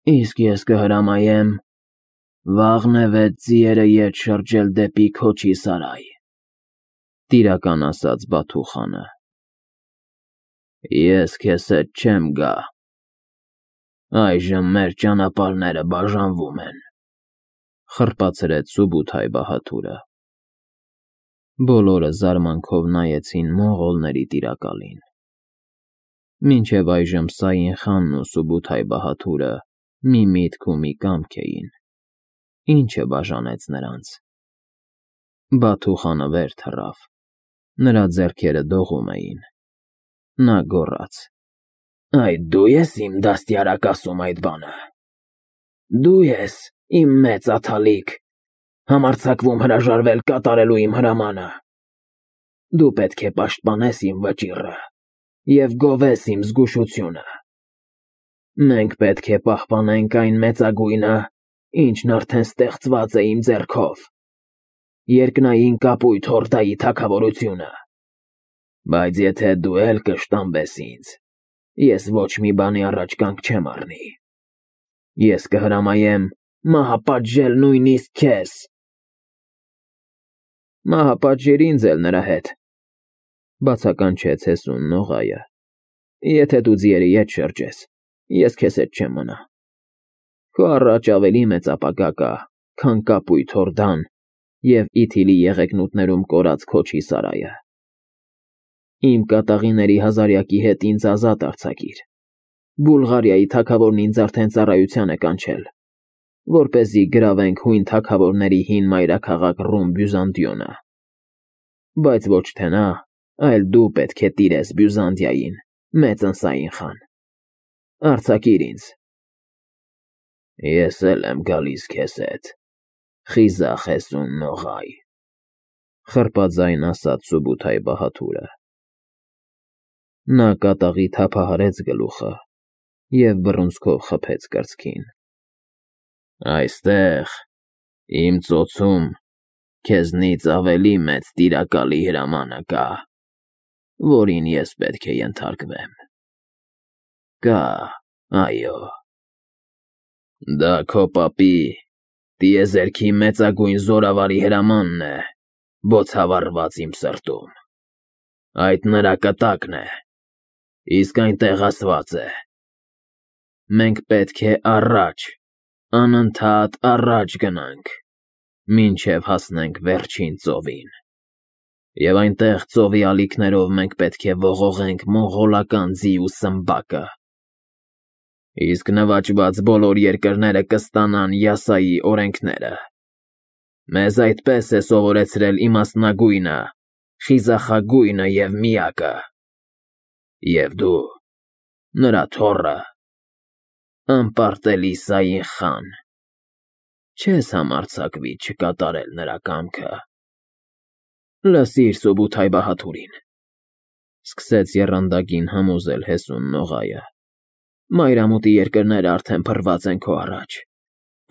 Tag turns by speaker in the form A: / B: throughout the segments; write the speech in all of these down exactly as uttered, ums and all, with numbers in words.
A: Իսկ ես կհրամայեմ վաղն է վեց ձիերը ետ շրջել դեպի Քոչի սարայ, տիրական ասաց Բաթուխանը։ Ես քեզ հետ չեմ գա։ Այժմ մեր ճանապարհները բաժանվում են, խրպացրեց Սուբութայ-Բահադուրը։ Բոլորը զարմանքով նայեցին մոնղոլների տիրակալին։ Մինչև այժմ Սաին խանն ու Սուբութայ-Բահադուրը մի միտք ու մի կամք էին. ի՞նչը բաժանեց նրանց։ Բաթուխանը վեր թռավ, նրա ձեռքերը դողում էին։ Նա գոռաց. Այդ դու ես իմ դաստիարակ ասում այդ բանը։ Դու ես, իմ մեծ աթալիկ, համարձակվում հրաժարվել կատարելու իմ հրամանը։ Դու պետք է պաշտպանես իմ վճիռը և գովես իմ զգուշությունը։ Մենք պետք է պահպանենք այն մեծագույնը, ինչն արդեն ստեղծված է իմ ձեռքով, երկնային կապույտ Հորդայի թագավորությունը։ Բայց եթե դու էլ կշտամբես ինձ, ես ոչ մի բանի առաջ կանգ չեմ առնի։ Ես կհրամայեմ մահապատժել նույնիսկ քեզ։ Մահապատժիր ինձ էլ նրա հետ, բացականչեց Հեսուն Նողայը։ Եթե դու ձիերի ետ շրջես, ես քեզ հետ չեմ մնա։ Քո առաջ ավելի մեծ ապագա կա, քան կապույտ Հորդան և Իթիլի եղեգնուտներում կորած Քոչի սարայը։ Իմ կատաղիների հազարյակի հետ ինձ ազատ արձակիր։ Բուլղարիայի թագավորն ինձ արդեն ծառայության է կանչել, որպեսզի գրավենք հույն թագավորների հին մայրաքաղաք Ռում Բյուզանդիոնը։ Բայց ոչ թե նա, այլ դու պետք է տիրես Բյուզանդիային, մեծն Սաին խան։ Արձակիր ինձ։ Ես էլ եմ գալիս քեզ հետ, խիզախ Հեսուն Նողայ, խռպաձայն ասաց Սուբութայ-Բահադուրը։ Նա կատաղի թափահարեց գլուխը և բռունցքով խփեց կրծքին։ Այստեղ, իմ ծոցում, քեզնից ավելի մեծ տիրակալի հրամանը կա, որին ես պետք է ենթարկվեմ։ Կա, այո։ Դա քո պապի, տիեզերքի մեծագույն զորավարի հրամանն է, բոցավառված իմ սրտում։ Այդ նրա կտակն է, իսկ այնտեղ ասված է. մենք պետք է առաջ, անընդհատ առաջ գնանք, մինչև հասնենք վերջին ծովին, և այնտեղ ծովի ալիքներով մենք պետք է ողողենք մոնղոլական ձի ու սմբակը։ Իսկ նվաճված բոլոր երկրները կստանան Յասայի օրենքները։ Մեզ այդպես է սովորեցրել իմաստնագույնը, խիզախագույնը և միակը։ Եվ դու, նրա թոռը, անպարտելի Սաին խան, չես համարձակվի չկատարել նրա կամքը։ Լսիր Սուբութայ-Բահադուրին, սկսեց եռանդակին համոզել Հեսուն Նողայը։ Մայրամուտի երկրները արդեն փռված են քո առաջ,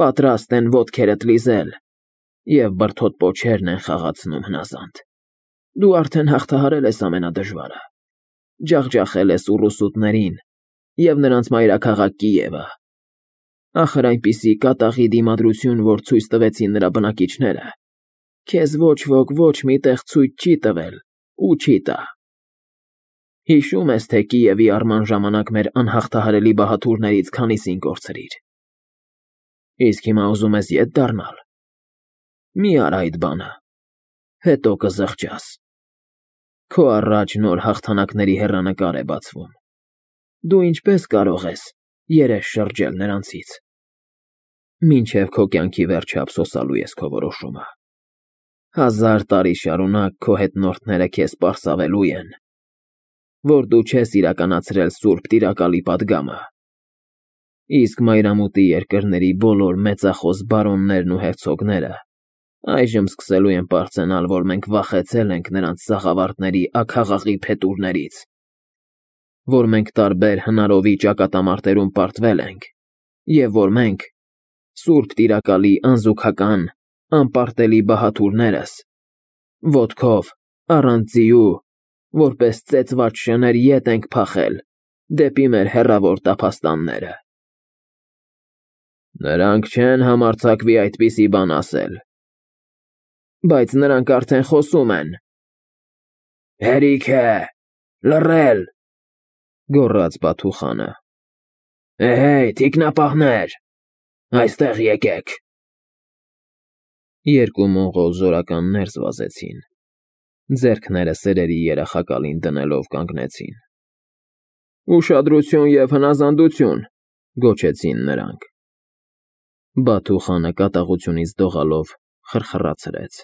A: պատրաստ են ոտքերդ լիզել և բրդոտ պոչերն են խաղացնում հնազանդ։ Դու արդեն հաղթահարել ես ամենադժվարը, ջախջախել ես ուռուսուտներին և նրանց մայրաքաղաք Կիևը։ Ախր այնպիսի կատաղի դիմադրություն, որ ցույց տվեցին նրա բնակիչները, քեզ ոչ ոք ոչ մի տեղ ցույց չի տվել ու չի տա։ Հիշո՞ւմ ես, թե Կիևի առման ժամանակ մեր անհաղթահարելի բահադուրներից քանիսին կորցրիր։ Իսկ հիմա ուզում ես ետ դառնալ։ Մի արա այդ բանը, հետո կզղջաս։ Քո առաջ նոր հաղթանակների հեռանկար է բացվում։ Դու ինչպես կարող ես երես շրջել նրանցից։ Մինչև քո կյանքի վերջը ափսոսալու ես քո որոշումը։ Հազար տարի շարունակ քո հետնորդները քեզ պարսավելու են, որ դու չես իրականացրել սուրբ տիրակալի պատգամը։ Իսկ մայրամուտի երկրների բոլոր մեծախոս բարոններն ու հերցոգները այժմ սկսելու են պարծենալ, որ մենք վախեցել ենք նրանց սաղավարտների աքաղաղի փետուրներից, որ մենք տարբեր հնարովի ճակատամարտերում պարտվել ենք, և որ մենք, սուրբ տիրակալի անզուգական, անպարտելի բահադուրներս, ոտքով, առանց ձիու, որպես ծեծված շներ ետ ենք փախել դեպի մեր հեռավոր տափաստանները։ Նրանք չեն համարձակվի այդպիսի բան ասել։ Բայց նրանք արդեն խոսում են։ Հերիք է, լռել, գոռաց Բաթուխանը։ Էհեյ, թիկնապահներ, այստեղ եկեք։ Երկու մոնղոլ զորականներ զվազեցին։ Ձեռքները սերերի երախակալին դնելով կանգնեցին։ Ուշադրություն և հնազանդություն, գոչեցին նրանք։ Բաթուխանը կատաղությունից դողալով խրխրացրեց,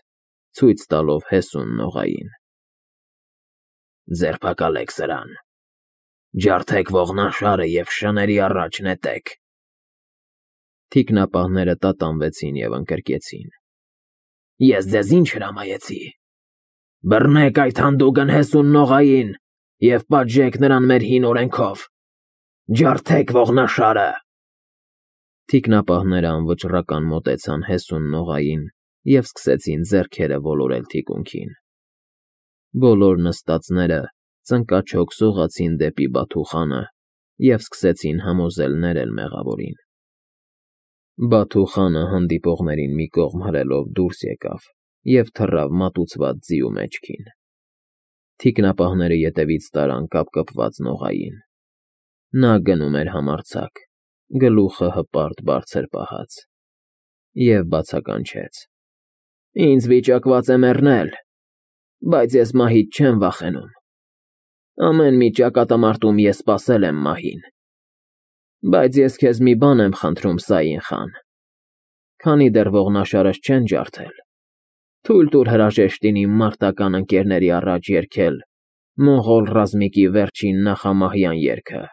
A: ցույց տալով Հեսուն Նողային։ Ձերբակալեք սրան, ջարդեք ողնաշարը և շների առաջ նետեք։ Թիկնապահները տատանվեցին և ընկրկեցին։ Ես ձեզ ինչ հրամայեցի։ Բռնեք այդ հանդուգն Հեսուն Նողային և պատժեք նրան մեր հին օրենքով։ Ջարդեք ողնաշարը։ Թիկնապահները անվճռական մոտեցան Հեսուն Նողային և սկսեցին ձեռքերը ոլորել թիկունքին։ Բոլոր նստածները ծնկաչոք սողացին դեպի Բաթուխանը և սկսեցին համոզել ներել մեղավորին։ Բաթուխանը հանդիպողներին մի կողմ հրելով դուրս եկավ և թռավ մատուցված ձիու մեջքին։ Թիկնապահները ետևից տարան կապկպված Նողային։ Նա գնում էր համարձակ, գլուխը հպարտ բարձր պահած, և բացականչեց. Ինձ վիճակված է մեռնել, բայց ես մահից չեմ վախենում։ Ամեն մի ճակատամարտում ես սպասել եմ մահին։ Բայց ես քեզ մի բան եմ խնդրում, Սաին խան. Քանի դեռ ողնաշարս չեն ջարդել, թույլ տուր հրաժեշտին իմ մարտական ընկերների առաջ երգել մոնղոլ ռազմիկի վերջին նախամահյան երգը։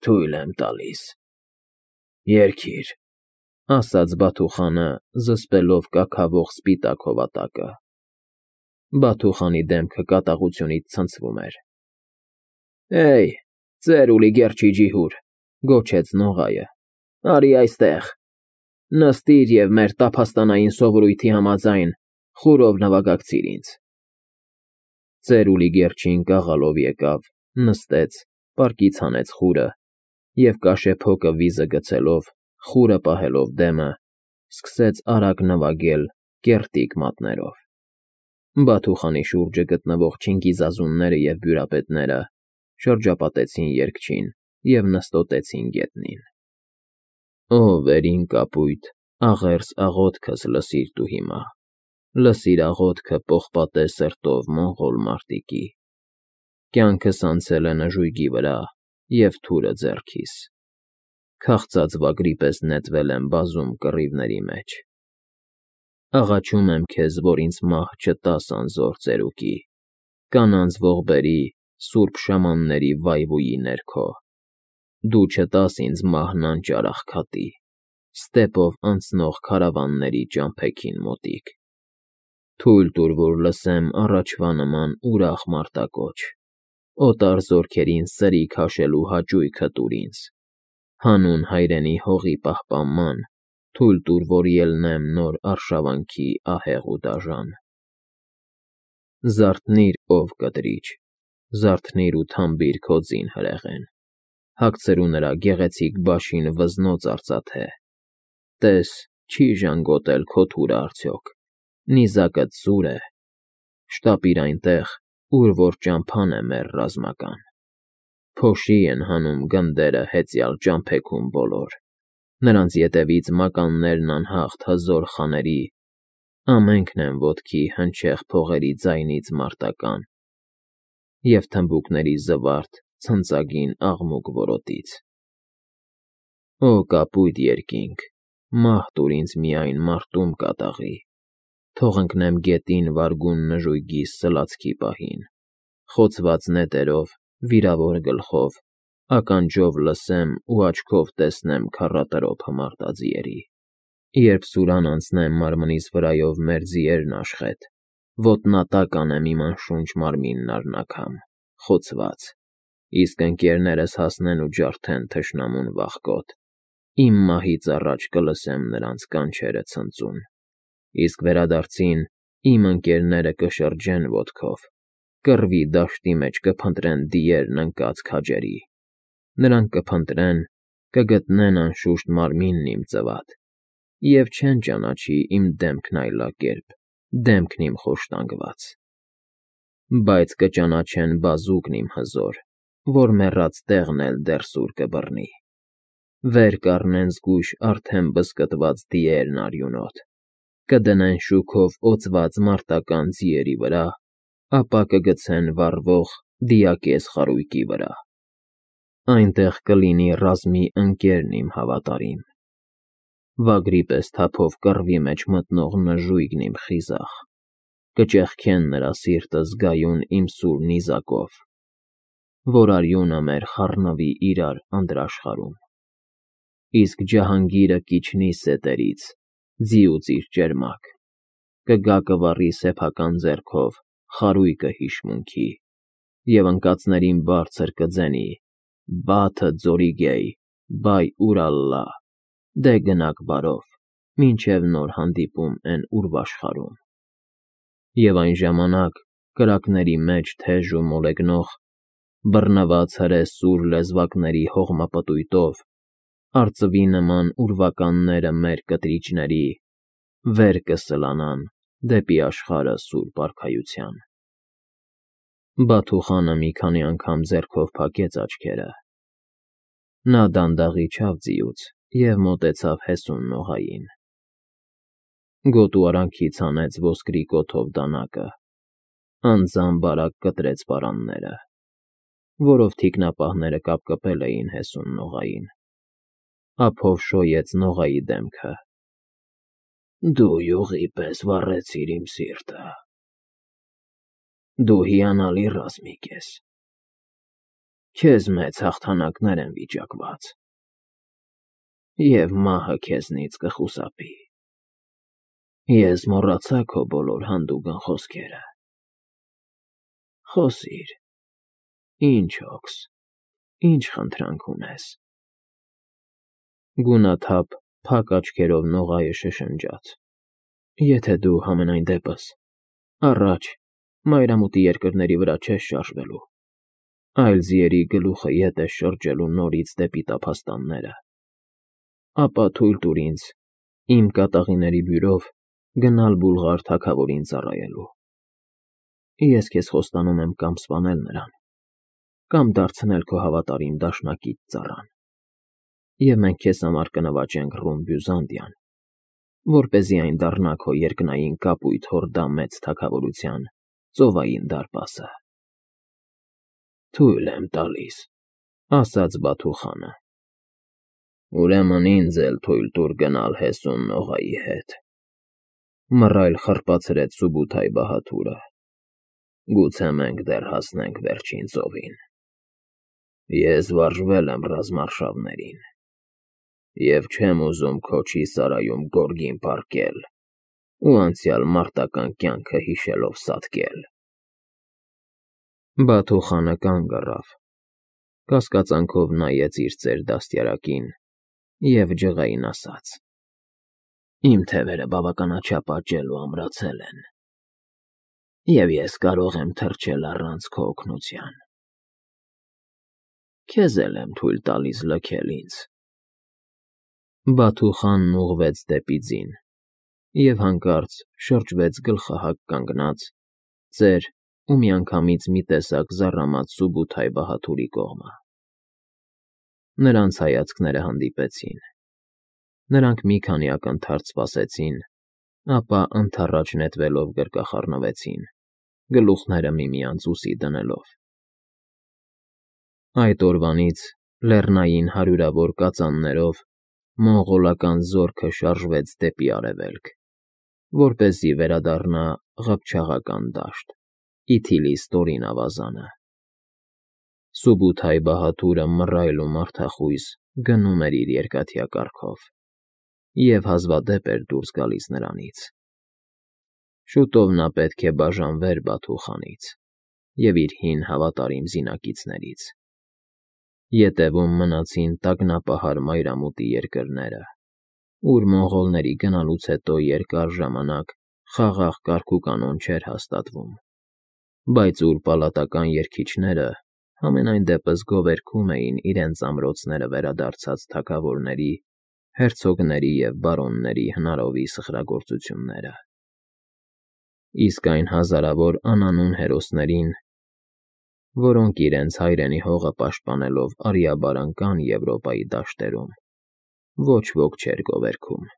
A: Թույլ եմ տալիս։ Երգիր, ասաց Բաթուխանը, զսպելով կաքավող սպիտակ հովատակը։ Բաթուխանի դեմքը կատաղությունից ցնցվում էր։ Էյ, ծեր ուլի գերչի ջիհուր, գոչեց Նողայը, արի այստեղ։ Նստիր և մեր տափաստանային սովորույթի համաձայն խուրով նվագակցիր ինձ։ Ծերուլի գերչին կաղալով եկավ, նստեց, պարկից հանեց խուրը և կաշեփոկը վիզը գցելով, խուրը պահելով դեմը, սկսեց արագ նվագել կեռտիկ մատներով։ Բաթուխանի շուրջը գտնվող չինգիզազունները և բյուրապետները շրջապատեցին երգչին և նստոտեցին գետնին։ Ո վերին կապույտ, աղերս աղոթքս լսիր դու հիմա, լսիր աղոթքը պողպատե սրտով մոնղոլ մարտիկի։ Կյանքս անցել է նժույգի վրա և թուրը ձեռքիս, քաղցած վագրի պես նետվել եմ բազում կռիվների մեջ։ Աղաչում եմ քեզ, որ ինձ մահ չտաս անզոր ծերուկի, կանանց ողբերի, սուրբ շամանների վայվուի ներքո։ Դու չտաս ինձ մահն անճար աղքատի, ստեպով անցնող քարավանների ճամփեքին մոտիկ։ Թույլ տուր, որ լսեմ առաջվա նման ուրախ մարտակոչ, օտար զորքերին սրի քաշելու հաճույքը տուր ինձ, հանուն հայրենի հողի պահպանման թույլ տուր, որ ելնեմ նոր արշավանքի ահեղ ու դաժան։ Զարթնի՛ր, ով կտրիչ, զարթնի՛ր ու թամբիր քո ձին հրեղեն, հագցրու նրա գեղեցիկ բաշին վզնոց արծաթե։ Տես, չի ժանգոտել քո թուրը արդյոք, նիզակդ սուր է, շտապիր այնտեղ, ուր որ ճամփան է մեր ռազմական։ Փոշի են հանում գնդերը հեծյալ ճամփեքում բոլոր, նրանց ետևից մականներն անհաղթ հզոր խաների, ամենքն են ոտքի հնչեղ փողերի ձայնից մարտական և թմբուկների զվարթ ցնծագին աղմուկ որոտից։ Օ կապույտ երկինք, մահ տուր ինձ միայն մարտում կատաղի, թող ընկնեմ գետին վարգուն նժույգի սլացքի պահին, խոցված նետերով, վիրավոր գլխով, ականջով լսեմ ու աչքով տեսնեմ քառատրոփ հմարտաձիերի։ Երբ սուրան անցնեմ մարմնիս վրայով մեր ձիերն աշխետ, ոտնատակ անեմ իմ անշունչ մարմինն առնաքամ, խոցված, իսկ ընկերներս հասնեն ու ջարդեն թշնամուն վախկոտ, իմ մահից առաջ կլսեմ նրանց կանչերը ցնծուն, իսկ վերադարձին իմ ընկերները կշրջեն ոտքով, կռվի դաշտի մեջ կփնտրեն դիերն ընկած քաջերի, նրանք կփնտրեն, կգտնեն անշուշտ մարմինն իմ ծվատ, և չեն ճանաչի իմ դեմքն այլակերպ, դեմքն իմ խոշտանգված, բայց կճանաչեն բազուկն իմ հզոր, որ մեռած տեղն էլ դեռ սուր կբռնի, վեր կառնեն զգույշ արդեն բզկտված դիերն արյունոտ, կդնեն շուքով օծված մարտական ձիերի վրա, ապա կգցեն վառվող դիակез խարույկի վրա, այնտեղ կլինի ռազմի ընկերն իմ հավատարիմ, վագրի պես թափով կռվի մեջ մտնող նժույգն իմ խիզախ, կճեղքեն նրա սիրտը զգայուն իմ սուր նիզակով, որ արյունը մեր խառնվի իրար անդրաշխարհում, իսկ ջահանգիրը կիջնի սետերից, ձիուց իր ճերմակ, կգա կվառի սեփական ձեռքով խարույկը հիշմունքի, և անկացներին բարձր կձենի. «Բաթը ձորիգեյ, բայ ուրալլա, դե գնաք բարով, մինչև նոր հանդիպում են ուրվաշխարհում»։ Եվ այն ժամանակ կրակների մեջ թեժ ու մոլեգնող, բռնված հրե սուր լեզվակների հողմապտույտով, արծվի նման ուրվականները մեր կտրիճների վեր կսլանան դեպի աշխարհը սուրբ արքայության։ Բաթուխանը մի քանի անգամ ձեռքով փակեց աչքերը։ Նա դանդաղ իջավ ձիուց և մոտեցավ հեսուն նողային։ Գոտու արանքից հանեց ոսկրի կոթով դանակը, անձամբ արագ կտրեց պարանները, որով թիկնապահները կապկպել էին հեսուն նողային, ափով շոյեց նողայի դեմքը։ Դու յուղի պես վառեցիր իմ սիրտը, դու հիանալի ռազմիկ ես, քեզ մեծ հաղթանակներ են վիճակված, և մահը քեզնից կխուսափի։ Ես մոռացա քո բոլոր հանդուգն խոսքերը, խոսիր, ինչ հոգս, ինչ խնդրանք ունես։ Գունաթափ, փակ աչքերով նողայը շշնջաց. Եթե դու համենայն դեպս առաջ մայրամուտի երկրների վրա չես շարժվելու, այլ ձիերի գլուխը ետ ես շրջելու նորից դեպի տափաստանները, ապա թույլ տուր ինձ իմ կատաղիների բյուրով գնալ Բուլղար թագավորին ծառայելու։ Ես քեզ խոստանում եմ կամ սպանել նրան, կամ դարձնել քո հավատարիմ դաշնակից ծառան, և մենք քեզ համար կնվաճենք Ռում Բյուզանդիան, որպեսզի այն դառնա քո երկնային կապույտ հորդա մեծ թագավորության ծովային դարպասը։ Թույլ եմ տալիս, ասաց Բաթուխանը։ Ուրեմն ինձ էլ թույլ տուր գնալ հեսուն նողայի հետ, մռայլ խռպացրեց Սուբութայ֊Բահադուրը, գուցե մենք դեռ հասնենք վերջին ծովին։ Ես վարժվել եմ ռազմարշավներին և չեմ ուզում Քոչի սարայում գորգին պառկել ու անցյալ մարտական կյանքը հիշելով սատկել։ Բաթուխանը կանգ առավ, կասկածանքով նայեց իր ծեր դաստիարակին և ջղային ասաց. Իմ թևերը բավականաչափ աճել ու ամրացել են, և ես կարող եմ թռչել առանց քո օգնության։ Քեզ էլ եմ թույլ տալիս լքել ինձ։ Բաթուխանն ուղղվեց դեպի ձին և հանկարծ շրջվեց գլխահակ կանգնած, ծեր ու միանգամից մի տեսակ զառամած Սուբութայ-Բահադուրի կողմը։ Նրանց հայացքները հանդիպեցին, նրանք մի քանի ակնթարթ սպասեցին, ապա ընդառաջ նետվելով գրկախառնվեցին, գլուխները միմյանց ուսի դնելով։ Այդ օրվանից լեռնային հարյուրավոր կածաններով մոնղոլական զորքը շարժվեց դեպի արևելք, որպեսզի վերադառնա Ղփչաղական դաշտ, Իթիլի ստորին ավազանը։ Սուբութայ-Բահադուրը մռայլ ու մարդախույզ գնում էր իր երկաթյա կառքով, և հազվադեպ էր դուրս գալիս նրանից։ Շուտով նա պետք է բաժանվեր Բաթուխանից և իր հին հավատարիմ զինակիցներից։ Ետևում մնացին տագնապահար մայրամուտի երկրները, ուր մոնղոլների գնալուց հետո երկար ժամանակ խաղաղ կարգուկանոն չէր հաստատվում, բայց ուր պալատական երգիչները Համենայն դեպս գովերգում էին իրենց ամրոցները վերադարձած թագավորների, հերցոգների և բարոնների հնարովի սխրագործությունները, իսկ այն հազարավոր անանուն հերոսներին, որոնք իրենց հայրենի հողը պաշտպանելով արիաբար ընկան Եվրոպայի դաշտերում, ոչ ոք չէր գովերգում։